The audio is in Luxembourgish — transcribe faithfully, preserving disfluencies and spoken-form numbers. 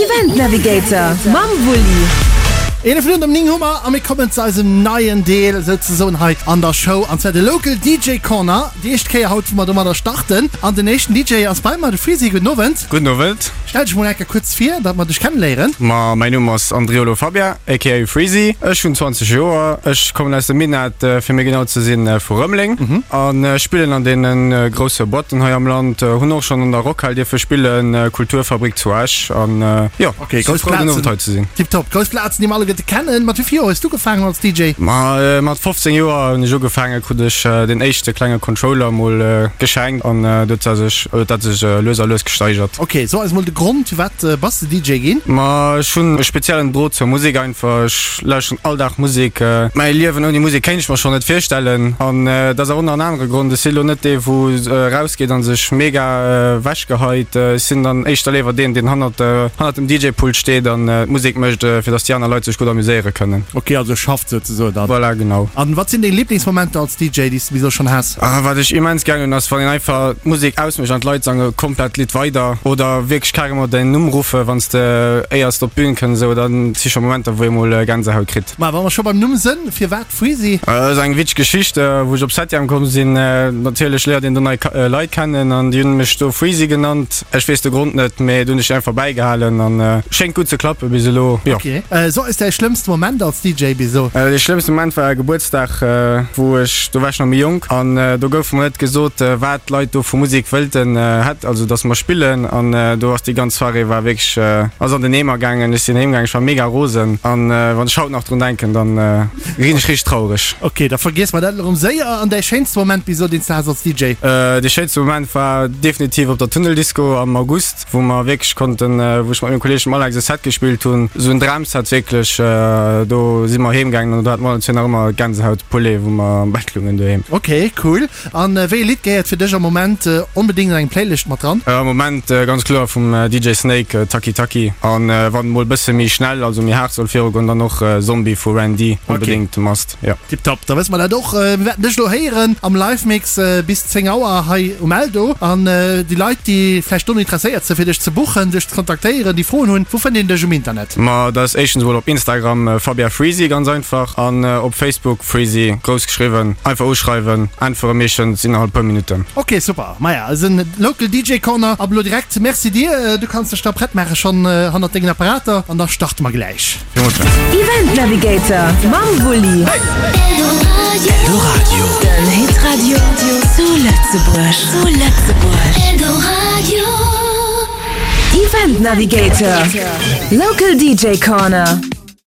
Event Navigator mam Wulli. Eelef Minutten op néng hu mer a mir kommen zu eisem neien Deel souzesoen hei an der Show, an zwar de Local D J Corner. Déi éischt Kéier haut, wou mer domadder starten. An den éischten D J ass bei mer, de Freezy. Gudden Owend. Gudden Owend. Stell dech mol eng Kéier kuerz vir, datt mer dech kenneléieren. Ma mäin Numm ass Andriolo Fabien, A K A. Freezy. Ech hunn zwanzeg Joer. Ech kommen aus dem Minett, fir méi genau ze sinn vu Rëmeleng. An spillen an deene grousse Boîten hei am Land. Hunn och schonn an der Rockhal dierfe spillen, Kulturfabrik zu Esch. An jo, Okay, si grouss frou den Plazen. Owend hei ze sinn. Tiptop. Grouss Plazen, déi mer alleguerte kennen. Mat wéi vill Joer hues du ugefaangen als D J? Ma mat fofzéng Joer hunn ech ugefaangen, krut ech den éischte klenge Controller mol geschenkt an do huet sech huet dat sech lues a lues gesteigert. Ok, so eis mol de Grond, firwat bass de D J ginn? Ma ech hunn e speziellen Drot zur Musek einfach. Ech lauschteren all Dag Musek. Mäi Liewen ouni Musek kéint ech mer schonn net virstellen. An dat ass och nach en anere Grond, ech sinn elo net dee wou erausgeet an sech mega ewechgeheit. Ech sinn dann éischter léiwer deen, deen hannert hannert dem D J-Pult steet an d'Musek mécht, fir datt déi aner Leit sech gutt amuséiere kënnen. Ok, also schafft souzesoen dann. Voilà, genau. An wat sinn deng Liblingsmomenter als D J, déi s du bis elo schonn has? Ah, wat ech immens gär hunn, ass wann een einfach d'Musek ausmécht an d'Leit sange komplett d'Lidd weider oder wierklech carrément däin Numm ruffe wann s de éiers op d'Bün kënns esou. Dann si scho Momenter, wou ee mol Gänsehaut kritt. Ma wa mer scho beim Numm sënn, firwat Freezy? Dat ass eng witzeg Geschicht, wou ech op Septième komm sinn. Natierlech léiert een do nei Leit kennen an déi hunn mech do Freezy genannt. Ech weess de Grond net, mee do hunn ech einfach bäigehalen an schéngt gutt ze klappe bis elo, jo. Ok. So eis däi schlëmmste Moment als D J bis elo. Dee schlëmmste Moment war e Gebuertsdag, wou ech, do war ech nach méi jonk an do gouf mer net gesot, wat d'Leit do vu Musek wëllten hätt, also datt mer spillen, an do ass déi ganz Soirée war wierklech ass an den Eemer gaangen. Ech sinn heem gaangen, ech war mega rosen an wann ech haut nach drun denken, dann ginn ech richteg traureg. Ok, da vergiesse mer dat elo erëm séier. An däi schéinste Moment bis elo, deen s de has als D J? Dee schéinste Moment war definitiv op der Tunneldisco am August, wou mer wierklech konnten, wou ech mat mengem Kolleeg dem Alex e Set gespillt hunn, esou en Dramset wierklech. Do si mer heem gaangen an do hat mer allen zwee nach ëmmer Gänsehaut Poulet, wou mer am Bett lungen doheem. Ok, cool. An wéi e Lidd gehéiert fir dech am Moment onbedéngt an eng Playlist mat dran? Am Moment ganz kloer vum D J Snake Taki Taki an wann mol bësse méi schnell, also méi haart soll virugoen, dann och Zombie vu Ran-D, onbedéngt must, jo. Tiptop, da wësse mer dat och. Mir wäerten dech elo héieren am Live-Mix bis zéng Auer hei um Eldo. An déi Leit, déi vläicht dono interesséiert sinn, fir dech ze buchen, dech ze kontaktéieren, déi Froen hunn, wou fënnt een dech um Internet? Ma dat ass éischtens emol op Instagram Fabia Freezy, ganz einfach, an op Facebook Freezy, grouss geschriwwen. Einfach uschreiwen, äntwere meeschtens innerhalb puer Minutten. Ok, super. Maja, eisen Local D J Corner ab elo direkt. Merci dir. Du kanns dech da prett maache schonn hannert dengen Apparater an da starte mer gläich. Villmools Merci. Event Navigator mam Wulli. Eldoradio. Den Hitradio zu Lëtzebuerg. Zu Lëtzebuerg. Event Navigator. Local D J Corner.